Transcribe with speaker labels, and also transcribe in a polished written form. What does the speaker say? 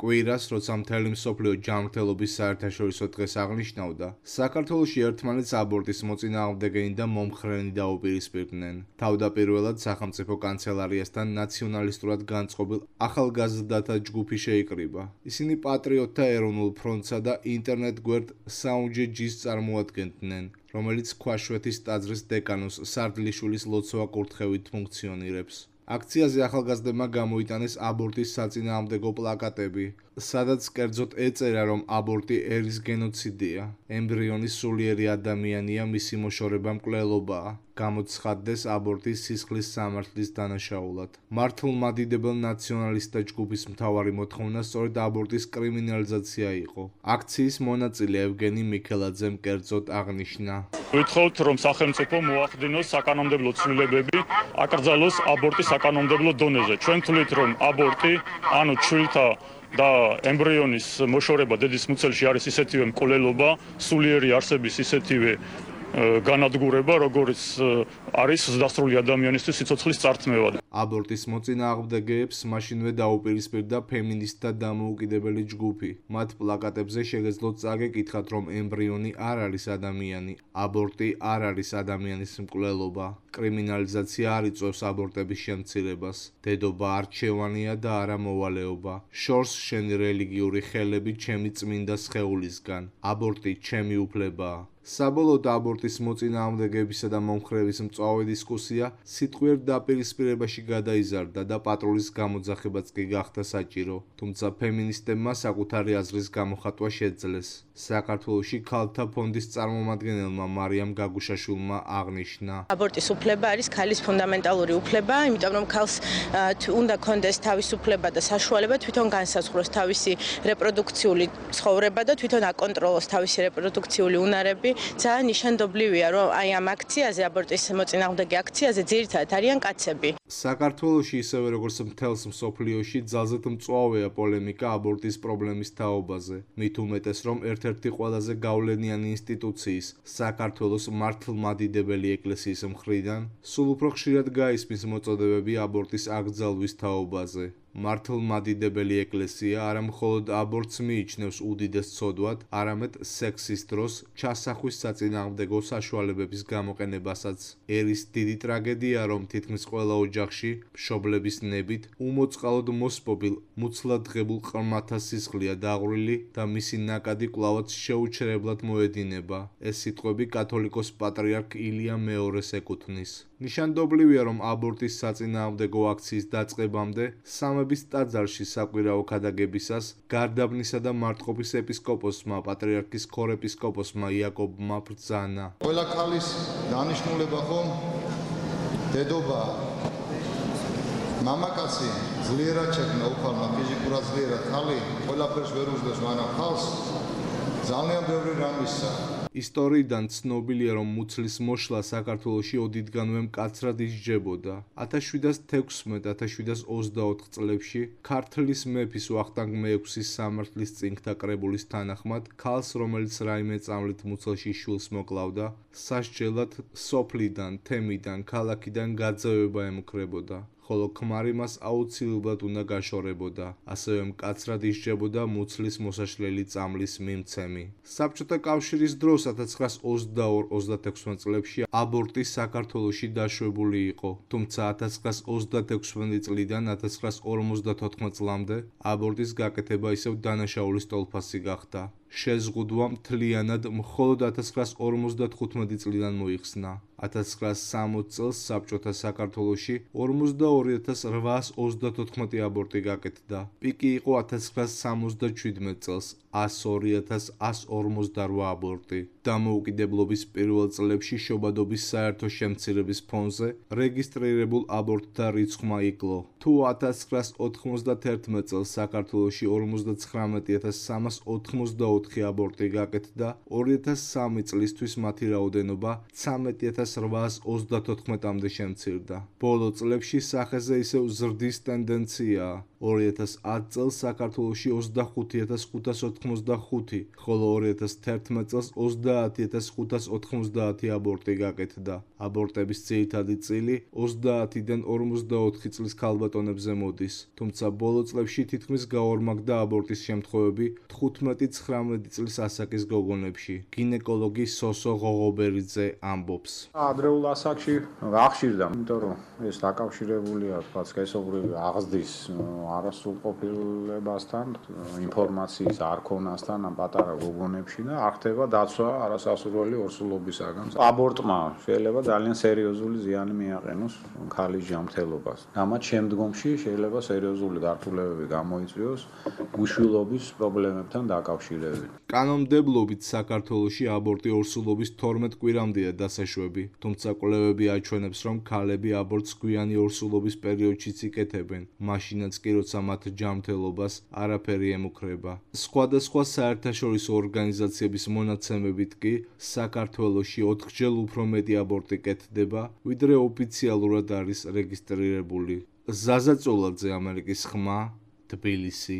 Speaker 1: კვირას, როცა მთელი მსოფლიო ჯანმრთელობის საერთაშორისო დღეს აღნიშნავდა, საქართველოში ერთმანეთს აბორტის მოწინააღმდეგენი და მომხრენი დაუპირისპირდნენ. თავდაპირველად სახელმწიფო კანცელარიასთან ნაციონალისტურად განწყობილ ახალგაზრდათა ჯგუფი შეიკრიბა. ისინი პატრიოტთა ეროვნულ ფრონტსა და ინტერნეტ გვერდ SoundJG-ს წარმოადგენდნენ, რომელიც ქვაშვეთის ტაძრის დეკანოს სარდლიშვილის ლოცვა-კურთხევით ფუნქციონირებს. აქციაზე ახალგაზრდებმა გამოიტანეს აბორტის საწინააღმდეგო პლაკატები, სადაც კერძოდ ეწერა, რომ აბორტი ერის გენოციდია, ემბრიონის სულიერი ადამიანია, მისი მოშორება მკვლელობაა, გამოცხადდეს აბორტის სისხლის სამართლის დანაშაულად. მართლმადიდებელ ნაციონალისტთა ჯგუფის მთავარი მოთხოვნა სწორედ აბორტის კრიმინალიზაცია იყო. აქციის მონაწილე ევგენი მიქელაძემ კერძოდ აღნიშნა:
Speaker 2: ვითხოვთ, რომ სახელმწიფო მოახდინოს საკანონმდებლო ცვლილებები, აკრძალოს აბორტი საკანონმდებლო დონეზე. ჩვენ თვლით, რომ აბორტი, ანუ ჩვილთა და ემბრიონის მოშორება დედის მუცელში არის ისეთივე მკვლელობა, სულიერი არსების ისეთივე განადგურება, როგორც არის ზრდასრული ადამიანისთვის სიცოცხლის წართმევა.
Speaker 1: აბორტის მოწინააღმდეგეებს მაშინვე დაუპირისპირდა ფემინისტთა დამოუკიდებელი ჯგუფი. მათ პლაკატებზე შეგეძლოთ წაგეკითხათ, რომ ემბრიონი არ არის ადამიანი, აბორტი არ არის ადამიანის მკვლელობა, კრიმინალიზაცია არ იწვევს აბორტების შემცირებას, დედობა არჩევანია და არა მოვალეობა, შორს შენი რელიგიური ხელები ჩემი წმინდა სხეულისგან, აბორტი ჩემი უფლებაა. საბოლოოდ აბორტის მოწინააღმდეგეებისა და მომხრეების მწვავე დისკუსია სიტყვიერ დაპირისპირებაში გადაიზარდა და პატრულის გამოძახებაც კი გახდა საჭირო, თუმცა ფემინისტებმა საკუთარი აზრის გამოხატვა შეძლეს. საქართველოში ქალთა ფონდის წარმომადგენელმა მარიამ გაგუშაშვილმა აღნიშნა:
Speaker 3: აბორტის უფლება არის ქალის ფუნდამენტალური უფლება, იმიტომ რომ ქალს უნდა კონდეს თავისუფლება და საშუალება თვითონ განსაზღვროს თავისი რეპროდუქციული ცხოვრება და თვითონ აკონტროლოს თავისი რეპროდუქციული უნარები. ძალიან ნიშანდობლივია, რომ აი ამ აქციაზე, აბორტის მოწინააღმდეგე აქციაზე ძირითადად არიან კაცები.
Speaker 1: საქართველოში ისევე როგორც მთელს მსოფლიოში ძალზედ მწვავეა პოლემიკა აბორტის პრობლემის თაობაზე. მით უმეტეს, რომ ერთ-ერთი ყველაზე გავლენიანი ინსტიტუციის, საქართველოს მართლმადიდებელი ეკლესიის მხრიდან სულ უფრო ხშირად გაისმის მოწოდებები აბორტის აკრძალვის თაობაზე. მართლმადიდებელი ეკლესია არა მხოლოდ აბორტს მიიჩნევს უდიდეს ცოდვად, არამედ სექსის დროს ჩასახვის საწინააღმდეგო საშუალებების გამოყენებასაც. ერის დიდი ტრაგედია, რომ თითქმის ყველა ოჯახში მშობლების ნებით უმოწყალოდ მოსპობილ, მუცლად ღებულ ყრმათა სისხლია დაღვრილი და მისი ნაკადი კვლავაც შეუჩერებლად მოედინება. ეს სიტყვები კათოლიკოს პატრიარქ ილია მეორეს ეკუთვნის. ნიშანდობლივია, რომ აბორტის საწინააღმდეგო აქციის დაწყებამდე სამების ტაძარში საკვირაო ქადაგებისას გარდაბნისა და მარტყოფის ეპისკოპოსმა პატრიარქის ქორეპისკოპოსმა იაკობმა ბრძანა:
Speaker 4: ყველა ქალის დანიშნულება ხომ დედობაა. მამაკაცი ძლიერად შექმნა უფალმა, ფიზიკურად ძლიერად, ხალი ყველაფერს ვერ უძლებს, მაგრამ ხალს ძალიან ბევრი რამ მისცა.
Speaker 1: ისტორიიდან ცნობილია, რომ მუცლის მოშლა საქართველოში ოდითგანვე მკაცრად ისჯებოდა. 1716-1724 წლებში ქართლის მეფის ვახტანგ მეექვსის სამართლის წინგთა კრებულის თანახმად, ქალს, რომელიც რაიმე წამლით მუცელში შვილს მოკლავდა, სასჯელად სოფლიდან, თემიდან, ქალაქიდან გაძევება ემუქრებოდა. ხოლო ქმარი მას აუცილებლად უნდა გაშორებოდა, ასევე მკაცრად ისჯებოდა მუცლის მოსაშლელი წამლის მიმცემი. საბჭოთა კავშირის დროს 1922-26 წლებში აბორტი საქართველოში დაშვებული იყო, თუმცა 1936 წლიდან 1954 წლამდე აბორტის გაკეთება ისევ დანაშაულის ტოლფასი გახდა. შეზღუდვა მთლიანად მხოლოდ 1955 წლიდან მოიხსნა. 1960 წელს საბჭოთა საქართველოში 42834 აბორტი გაკეთდა. პიკი იყო 1977 წელს 102148 აბორტი. დამოუკიდებლობის პირველ წლებში შობადობის საერთო შემცირების ფონზე რეგისტრირებულ აბორტთა რიცხვმა იკლო. თუ 1991 წელს საქართველოში 59384 აბორტი გაკეთდა, 2003 წლისთვის მათი რაოდენობა 13834-მდე შემცირდა. ბოლო წლებში სახეზე ისევ ზრდის ტენდენციაა. 2010 წელს საქართველოში 25585, ხოლო 2011 წელს 30590 აბორტი გაკეთდა. აბორტების ძირითადი წილი 30-დან 54 წლის ქალბატონებზე მოდის, თუმცა ბოლო წლებში თითქმის გაორმაგდა აბორტის შემთხვევები 15-19 წლის ასაკის გოგონებში. გინეკოლოგი სოსო ღოღობერიძე ამბობს.
Speaker 5: ადრეულ ასაკში აღშირდა, იმიტომ რომ ეს დაკავშირებულია თქვა სქესობრივი აღზრდის არასრულყოფილებასთან, ინფორმაციის არქონასთან ამ პატარა გოგონებში და არ ხდება დაცვა არასასურველი ორსულობისაგან. აბორტმა შეიძლება ძალიან სერიოზული ზიანი მიაყენოს ქალის ჯანმრთელობას. ამათ შემდგომში შეიძლება სერიოზული გართულებები გამოიწვიოს უშვილობის პრობლემებთან დაკავშირებით.
Speaker 1: კანონმდებლობით საქართველოში აბორტი ორსულობის 12 კვირამდეა დასაშვები, თუმცა კვლევები აჩვენებს, რომ ქალები აბორტს გვიანი ორსულობის პერიოდშიც იკეთებენ, მაშინაც კი როცა მათ ჯანმრთელობას არაფერი ემუქრება. სხვადასხვა საერთაშორისო ორგანიზაციების მონაცემებით კი საქართველოში 4-ჯერ უფრო მეტი აბორტი კეთდება, ვიდრე ოფიციალურად არის რეგისტრირებული. ზაზა წოლაძე, ამერიკის ხმა, თბილისი.